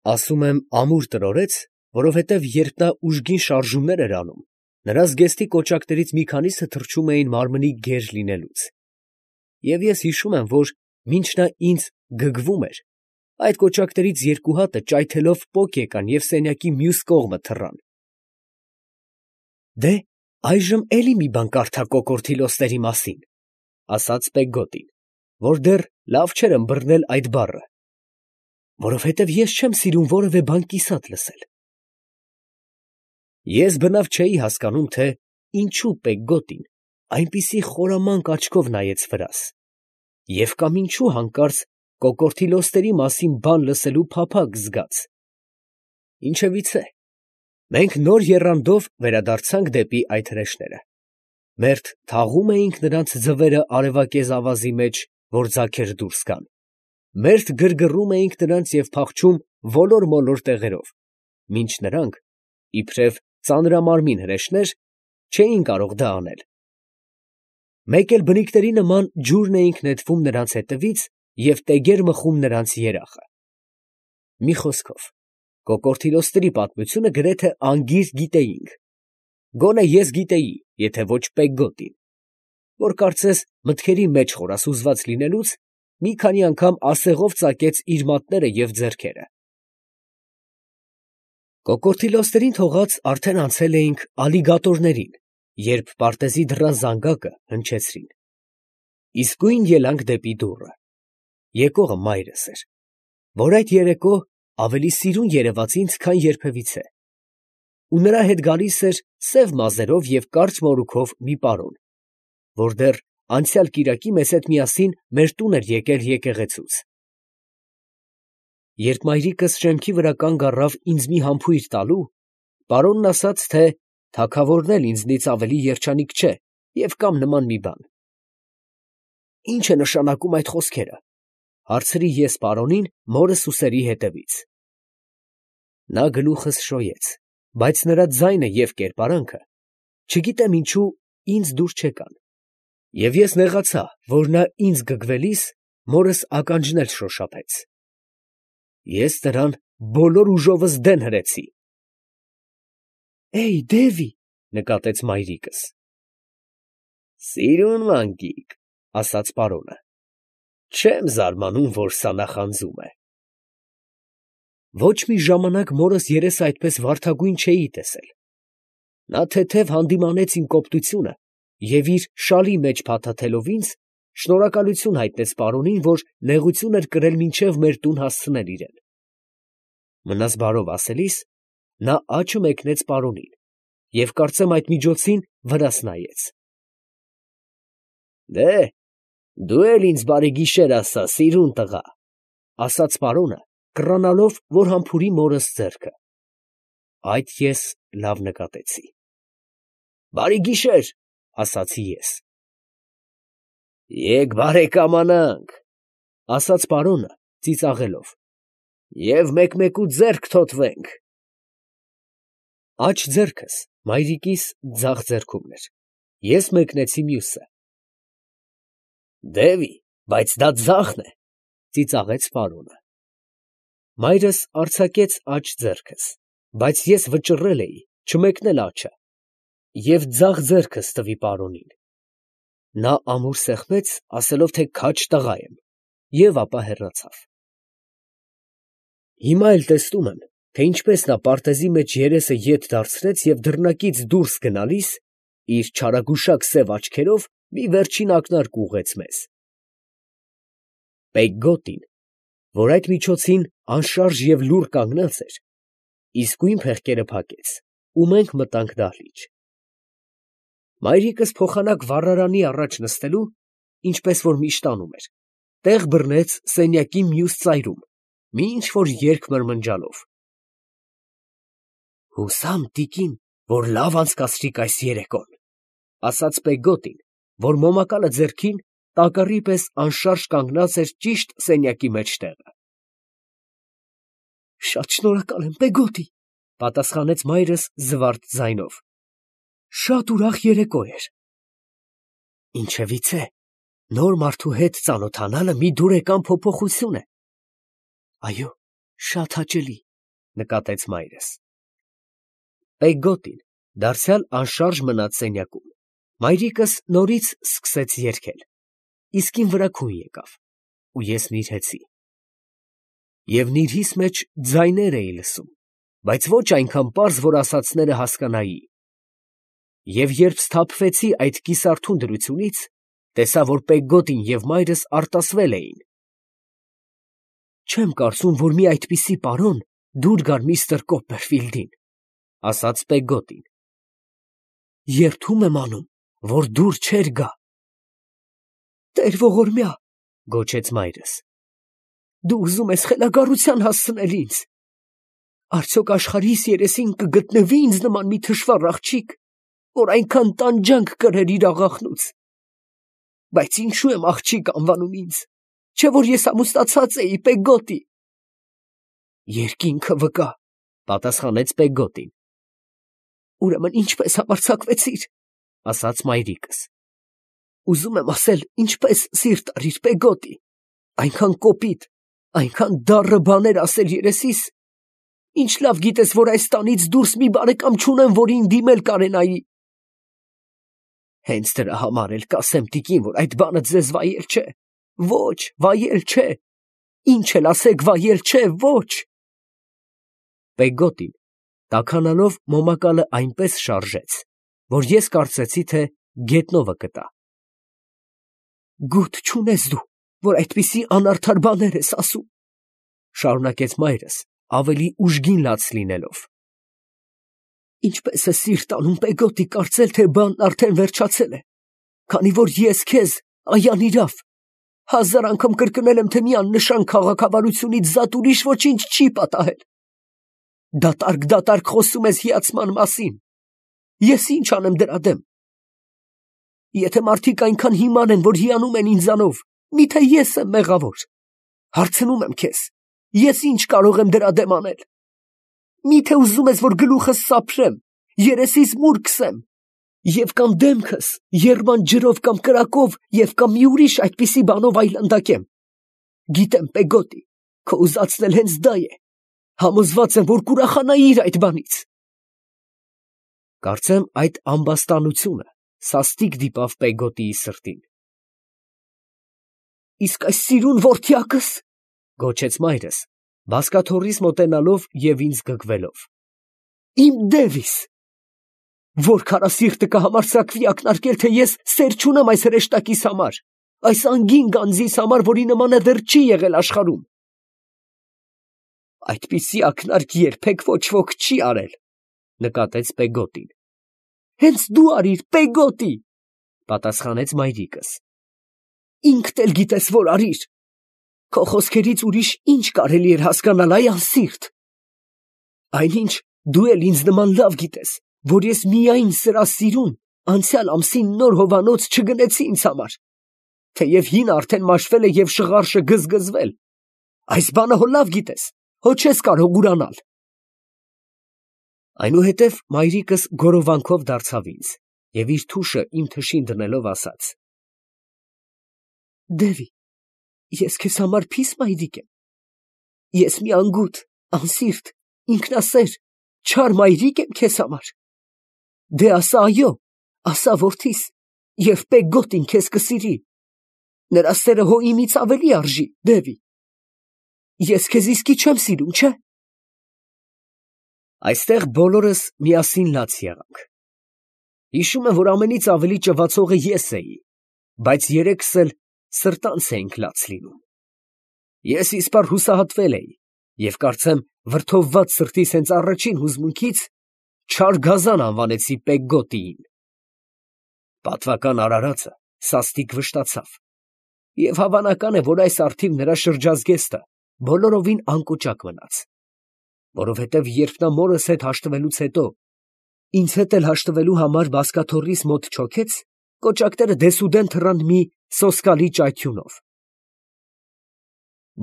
Ասում եմ ամուր տրորեց, որովհետև երբ նա ուժգին շարժումներ էր անում, նրա զգեստի կոճակներից մի քանիսը թռչում էին մարմնի գեր լինելուց. և ես հիշում եմ, որ մինչ նա ինձ գգվում էր, այդ կոճակներից երկու հատը ճայթելով պոկ եկան և սենյակի մյուս կողմը թռան։ ֊ Դե, այժմ էլի մի բան կարդա կոկորդիլոստերի մասին, ֊ ասաց Պեգգոտին, որ դեռ լավ չէր ըմբռնել այդ բառը, որովհետև ես չեմ սիրում որևէ բան կիսատ լսել։ Ես բնավ չէի հասկանում, թե ինչու Պեգգոտին այնպիսի խորամանկ աչքով նայեց վրաս, և կամ ինչու հանկարծ կոկորդիլոստերի մասին բան լսելու փափագ զգաց։ Ինչևիցե, մենք նոր եռանդով վերադարձանք դեպի այդ հրեշները. մերթ թաղում էինք նրանց ձվերը արևակեզ ավազի մեջ, որ ձագեր դուրս գան, մերթ գրգռում էինք նրանց և փախչում ոլոր֊մոլոր տեղերով, մինչ նրանք, իբրև ծանրամարմին հրեշներ, չէին կարող դա անել։ Մեկ էլ բնիկների նման ջուրն էինք նետվում նրանց հետևից և տեգեր մխում նրանց երախը։ Մի խոսքով, կոկորդիլոստերի պատմությունը գրեթե անգիր գիտեինք, գոնե ես գիտեի, եթե ոչ Պեգգոտին, որ կարծես մտքերի մեջ խորասուզված լինելուց, մի քանի անգամ ասեղով ծակեց իր մատները և ձեռքերը։ Կոկորդիլոստերին թողած արդեն անցել էինք ալիգատորներին, երբ պարտեզի դռան զանգակը հնչեցրին։ Իսկույն ելանք դեպի դուռը. եկողը մայրս էր, որ այդ երեկո ավելի սիրուն երևաց ինձ, քան երբևիցե, ու նրա հետ գալիս էր սև մազերով և կարճ մորուքով մի պարոն, որ դեռ անցյալ կիրակի մեզ հետ միասին մեր տուն էր եկել եկեղեցուց։ Երբ մայրիկս շեմքի վրա կանգ առավ ինձ մի համբույր տալու, պարոնն ասաց, թե թագավորն էլ ինձնից ավելի երջանիկ չէ և կամ նման մի բան։ ֊ Ի՞նչ է նշանակում այդ խոսքերը, ֊ հարցրի ես պարոնին մորս ուսերի հետևից։ Նա գլուխս շոյեց, բայց նրա ձայնը և կերպարանքը, չգիտեմ ինչու, ինձ դուր չեկան, և ես նեղացա, որ նա ինձ գգվելիս մորս ականջն էլ շոշափեց։ Ես նրան բոլոր ուժովս դեն հրեցի։ ֊ Է՜յ, դևի, ֊ նկատեց մայրիկս։ ֊ Սիրուն մանկիկ, ֊ ասաց պարոնը, ֊ չեմ զարմանում, որ սա նախանձում է։ Ոչ մի ժամանակ մորս երես այդպես վարդագույն չէի տեսել։ Նա թեթև հանդիմանեց իմ կոպտությունը և իր շալի մեջ փաթաթելով ինձ, շնորհակալություն հայտնեց պարոնին, որ նեղություն էր կրել մինչև մեր տուն հասցնել իրեն։ Մնաս բարով ասելիս, նա աչը մեկնեց պարոնին և կարծեմ այդ միջոցին վրաս նայեց։ ֊ Դե, դու էլ ինձ բարի գիշեր ասա, սիրուն տղա, ֊ ասաց պարոնը, կռանալով, որ համբուրի մորս ձեռքը։ Այդ ես լավ նկատեցի։ ֊ Բարի գիշեր, ֊ ասացի ես։ ֊ Եկ բարեկամանանք, ֊ ասաց պարոնը ծիծաղելով, ֊ և մեկ֊մեկու ձեռք թոթվենք։ Աջ ձեռքս մայրիկիս ձախ ձեռքումն էր, ես մեկնեցի մյուսը։ ֊ Դևի, բայց դա ձախն է, ֊ ծիծաղեց պարոնը։ Մայրս արձակեց աջ ձեռքս, բայց ես վճռել էի չմեկնել աջը և ձախ ձեռքս տվի պարոնին։ Նա ամուր սեղմեց, ասելով, թե քաջ տղա եմ, և ապա հեռացավ։ Հիմա էլ տեսնում եմ, թե ինչպես նա պարտեզի մեջ երեսը ետ դարձրեց և դռնակից դուրս գնալիս իր չարագուշակ սև աչքերով մի վերջին ակնարկ ուղղեց մեզ։ Պեգգոտին, որ այդ միջոցին անշարժ և լուռ կանգնած էր, իսկույն փեղկերը փակեց, ու մենք մտանք դահլիճ։ Մայրիկս փոխանակ վառարանի առաջ նստելու, ինչպես որ միշտ անում էր, տեղ բռնեց սենյակի մյուս ծայրում, մի ինչ֊որ երգ մրմնջալով։ «Հուսամ, տիկին, որ լավ անցկացրիք այս երեկոն, ֊ ասաց Պեգգոտին, որ մոմակալը ձեռքին տակառի պես անշարժ կանգնած էր ճիշտ սենյակի մեջտեղը։ ֊ Շատ շնորհակալ եմ, Պեգգոտի, ֊ պատասխանեց մայրս զվարթ ձայնով, ֊ շատ ուրախ երեկո էր։ ֊ Ինչևիցե, նոր մարդու հետ ծանոթանալը մի դուրեկան փոփոխություն է։ ֊ Այո, շատ հաճելի, նկատեց մայրս։ Պեգգոտին դարձյալ անշարժ մնաց սենյակում։ Մայրիկս նորից սկսեց երգել, իսկ իմ վրա քուն եկավ, ու ես նիրհեցի։ Եվ նիրհիս մեջ ձայներ էի լսում, բայց ոչ այնքան պարզ, որ ասածները հասկանայի։ Եվ երբ սթափվեցի այդ կիսարթուն դրությունից, տեսա, որ Պեգգոտին և մայրս արտասվել էին։ «Չեմ կարծում, որ մի այդպիսի պարոն դուր գար միստր Կոպպերֆիլդին», ֊ ասաց Պեգգոտին։ «Երդում եմ անում, որ դուր չէր գա»։ «Տեր ողորմյա», ֊ գոչեց մայրս, «դու ուզում ես խելագարության հասցնել ինձ։ Արդյոք աշխարհիս երեսին կգտնվի՞ ինձ նման մի թշվառ աղջիկ, որ այնքան տանջանք կրեր իր աղախնուց։ Բայց ինչու եմ աղջիկ անվանում ինձ, չէ՞ որ ես ամուսնացած էի Պեգգոտի»։ «Երկինքը վկա», ֊ պատասխանեց Պեգգոտին։ «Ուրեմն ինչպես համարձակվեցիր», ֊ ասաց մայրիկս։ «Ուզում եմ ասել, ինչպես սիրտ արիր Պեգգոտի, այնքան կոպիտ, այնքան դառը բաներ ասել երեսիս, ինչ լավ գիտես, որ այս տանից դուրս մի բարեկամ չունեմ, որին դիմել կարենայի»։ «Հենց դրա համար էլ կասեմ տիկին, որ այդ բանը ձեզ վայել չէ, ոչ, վայել չէ, ինչ էլ ասեք, վայել չէ, ոչ»։ Պեգգոտին տաքանալով մոմակալը այնպես շարժեց, որ ես կարծեցի, թե գետնովը կտա։ «Գութ չունես դու, որ այդպիսի անարդար բաներ ես ասում», ֊ շարունակեց մայրս, ավելի ուժգին լաց լինելով։ «Ինչպես է սիրտ անում Պեգգոտի կարծել, թե բանն արդեն վերջացել է, քանի որ ես քեզ, այանիրավ, 1000 անգամ կրկնել եմ, թե մի աննշան քաղաքավարությունից զատ ուրիշ ոչինչ չի պատահել։ Դատարկ խոսում ես հիացման մասին։ Ես ինչ անեմ դրա դեմ։ Եթե մարդիկ այնքան հիմար են, որ հիանում են ինձանով, միթե ես եմ մեղավոր։ Հարցնում եմ քեզ, ես ինչ կարող եմ դրա դեմ անել։ Միթե ուզում ես, որ գլուխս սափրեմ, երեսիս մուր քսեմ, և կամ դեմքս եռման ջրով կամ կրակով և կամ մի ուրիշ այդպիսի բանով այլանդակեմ։ Գիտեմ, Պեգգոտի, քո ուզածն էլ հենց դա է։ Համոզված եմ, որ կուրախանայիր այդ բանից։ Կարծեմ այդ ամբաստանությունը սաստիկ դիպավ Պեգգոտիի սրտին։ «Իսկ այս սիրուն որդյակս», ֊ գոչեց մայրս, բազկաթոռիս մոտենալով և ինձ գգվելով։ «Իմ Դևիս, որ քարասիրտը կհամարձակվի ակնարկել, թե ես սեր չունեմ այս հրեշտակիս համար, այս անգին գանձիս համար, որի նմանը դեռ չի եղել աշխարհում»։ «Այդպիսի ակնարկ երբեք ոչ ոք չի արել», ֊ նկատեց Պեգգոտին։ «Հենց դու արիր, Պեգգոտի», ֊ պատասխանեց մայրիկս։ «Ինքդ էլ գիտես, որ արիր։ Քո խոսքերից ուրիշ ինչ կարելի էր հասկանալ, այ անսիրտ։ Այնինչ դու էլ ինձ նման լավ գիտես, որ ես միայն սրա սիրուն անցյալ ամսին նոր հովանոց չգնեցի ինձ համար, թեև հինը արդեն մաշվել է և շղարշը գզգզվել։ Այս բանը հո լավ գիտես, հո չես կարող ուրանալ»։ Այնուհետև մայրիկս գորովանքով դարձավ ինձ և իր թուշը իմ թշին դնելով ասաց. «Դևի, ես քեզ համար փի՞ս մայրիկ եմ։ Ես մի անգութ, անսիրտ, ինքնասեր, չար մայրիկ եմ քեզ համար։ Դե ասա այո, ասա որդիս, և Պեգգոտին քեզ կսիրի։ Նրա սերը հո իմից ավելի արժի, Դևի։ Ես քեզ իսկի չեմ սիրում, չէ՞։ Այստեղ բոլորս միասին լաց եղանք։ Հիշում եմ, որ ամենից ավելի ճվացողը ես էի, բայց երեքս էլ սրտանց էինք լաց լինում։ Ես իսպառ հուսահատվել էի և կարծեմ վրդովված սրտիս հենց առաջին հուզմունքից չար գազան անվանեցի Պեգգոտիին։ Պատվական արարածը սաստիկ վշտացավ, և հավանական է, որ այս առթիվ նրա շրջազգեստը բոլորովին անկոճակ մնաց, որովհետև երբ նա մորս հետ հաշտվելուց հետո ինձ հետ էլ հաշտվելու համար բազկաթոռիս մոտ չոքեց, կոճակները դեսուդեն թռան մի սոսկալի ճայթյունով։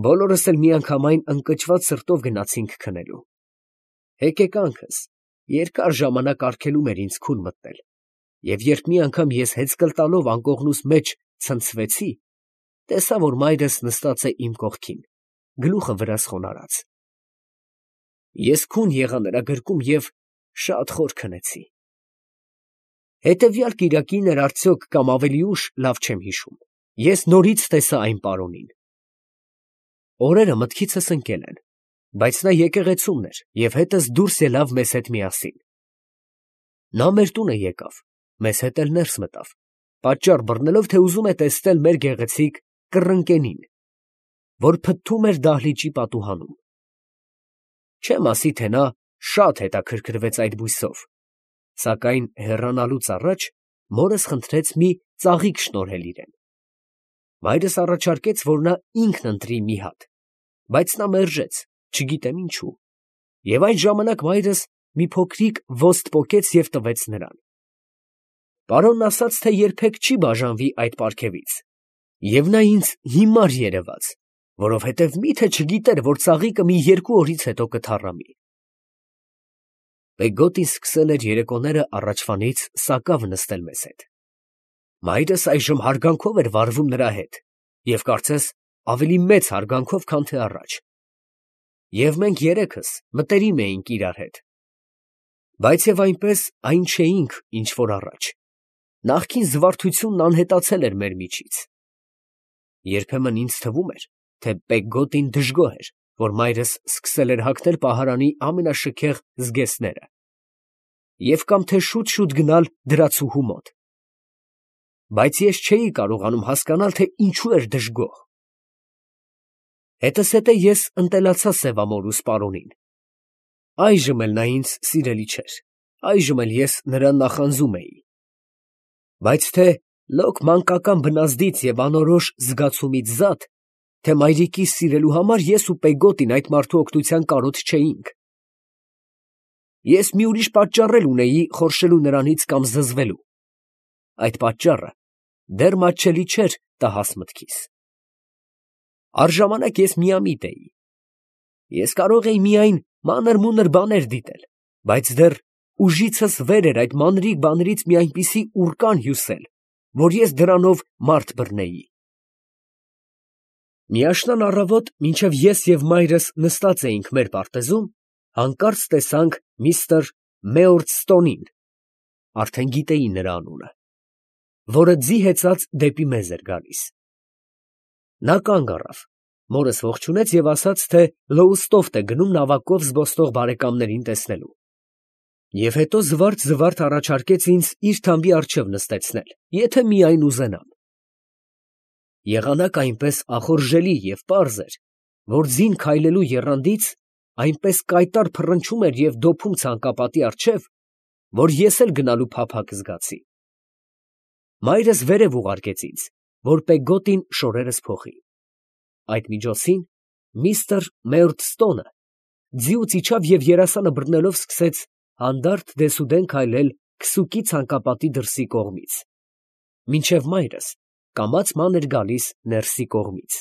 Բոլորս էլ միանգամայն ընկճված սրտով գնացինք քնելու։ Հեկեկանքս երկար ժամանակ արգելում էր ինձ քուն մտնել, և երբ մի անգամ ես հեծկլ տալով անկողնուս մեջ ցնցվեցի, տեսա, որ մայրս նստած է իմ կողքին, գլուխը վրաս խոնարհած։ Ես քուն եղա նրա գրկում և շատ խոր քնեցի։ Հետևյալ կիրակին էր արդյոք կամ ավելի ուշ, լավ չեմ հիշում, ես նորից տեսա այն պարոնին։ Օրերը մտքիցս ընկել են, բայց նա եկեղեցումն էր և հետս դուրս ելավ մեզ հետ միասին։ Նա մեր տունը եկավ, մեզ հետ էլ ներս մտավ, պատճառ բռնելով, թե ուզում է տեսնել մեր գեղեցիկ կռնկենին, որ փթթում էր դահլիճի պատուհանում։ Չեմ ասի, թե նա շատ հետաքրքրվեց այդ բույսով, սակայն հեռանալուց առաջ մորս խնդրեց մի ծաղիկ շնորհել իրեն։ Մայրս առաջարկեց, որ նա ինքն ընտրի մի հատ, բայց նա մերժեց, չգիտեմ ինչու, և այն ժամանակ մայրս մի փոքրիկ ոստ պոկեց և տվեց նրան։ Պարոնն ասաց, թե երբեք չի բաժանվի այդ պարգևից, և նա ինձ հիմար երևաց, որովհետև մի՞թե չգիտեր, որ ծաղիկը մի 2 օրից հետո կթառամի։ Պեգոտին սկսել էր երեկոները առաջվանից սակավ նստել մեզ հետ։ Մայրս այժմ հարգանքով էր վարվում նրա հետ և կարծես ավելի մեծ հարգանքով, քան թե առաջ։ Եվ մենք երեքս մտերիմ էինք իրար հետ։ Բայց և այնպես այն չէինք, ինչ որ առաջ։ Նախկին զվարթությունն անհետացել էր մեր միջից։ Երբեմն ինձ թվում էր, թե Պեգոտին դժգոհ էր, որ մայրս սկսել էր հագնել պահարանի ամենաշքեղ զգեստները, և կամ թե շուտ֊շուտ գնալ դրացուհու մոտ։ Բայց ես չէի կարողանում հասկանալ, թե ինչու էր դժգոհ։ Հետզհետե ես ընտելացա Սևամորուս պարոնին։ Այժմ էլ նա ինձ սիրելի չէր, այժմ էլ ես նրան նախանձում էի։ Բայց թե լոկ մանկական բնազդից և անորոշ զգացումից զատ, թե մայրիկիս սիրելու համար ես ու Պեգոտին այդ մարդու օգնության կարոտ չէինք։ Ես մի ուրիշ պատճառ էլ ունեի խորշելու նրանից կամ զզվելու։ Այդ պատճառը դեռ մատչելի չէր տհաս մտքիս։ Առժամանակ ես միամիտ էի։ Ես կարող էի միայն մանր֊մունր բաներ դիտել, բայց դեռ ուժիցս վեր էր այդ մանրիկ բաներից մի այնպիսի ուռկան հյուսել, որ ես դրանով մարդ բռնեի։ Մի աշնան առավոտ, մինչև ես և մայրս նստած էինք մեր պարտեզում, հանկարծ տեսանք միստր Մեորդստոնին (արդեն գիտեի նրա անունը), որը ձի հեծած դեպի մեզ էր գալիս։ Նա կանգ առավ, մորս ողջունեց և ասաց, թե Լոուստոֆթ է գնում նավակով զբոսնող բարեկամներին տեսնելու։ Եվ հետո զվարթ առաջարկեց ինձ իր թամբի առջև նստեցնել, եթե միայն ուզենամ։ Եղանակը այնպես ախորժելի և պարզ էր, որ ձին քայլելու եռանդից այնպես կայտառ փռնչում էր և դոփում ցանկապատի առջև, որ ես էլ գնալու փափագ զգացի։ Մայրս վերև ուղարկեց ինձ, որ Պեգոտին շորերս փոխի։ Այդ միջոցին միստր Մեորդստոնը ձիուց իջավ և երասանը բռնելով սկսեց հանդարտ դեսուդեն քայլել քսուկի ցանկապատի դրսի կողմից, մինչև մայրս կամաց-ման էր գալիս ներսի կողմից։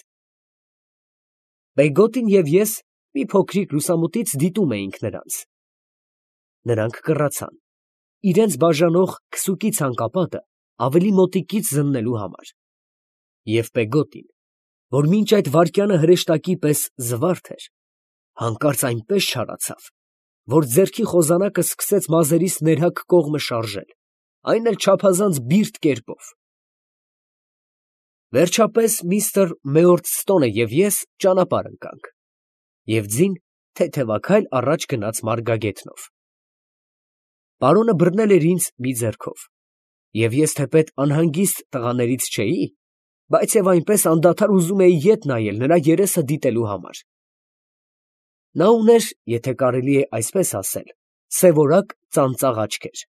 Պեգոտին և ես մի փոքրիկ լուսամուտից դիտում էինք նրանց։ Նրանք կռացան, իրենց բաժանող քսուկի ցանկապատը ավելի մոտիկից զննելու համար։ Եվ Պեգոտին, որ մինչ այդ վայրկյանը հրեշտակի պես զվարթ էր, հանկարծ այնպես չարացավ, որ ձեռքի խոզանակը սկսեց մազերիս ներհակ կողմը շարժել, այն էլ չափազանց բիրտ կերպով։ Վերջապես միստր Մեորդստոնը և ես ճանապարհ ընկանք, և ձին թեթևաքայլ առաջ գնաց մարգագետնով։ Պարոնը բռնել էր ինձ մի ձեռքով, և ես թեպետ անհանգիստ տղաներից չէի, բայց և այնպես անդադար ուզում էի ետ նայել նրա երեսը դիտելու համար։ Նա ուներ, եթե կարելի է այսպես ասել, սևորակ ծանծաղ աչքեր։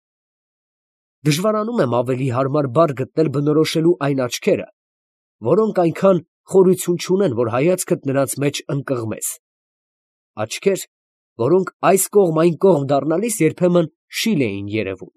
Դժվարանում եմ ավելի հարմար բառ գտնել բնորոշելու այն աչքերը, որոնք այնքան խորություն չունեն, որ հայացքդ նրանց մեջ ընկղմես, աչքեր, որոնք այս կողմ այն կողմ դառնալիս երբեմն շիլ էին երևում։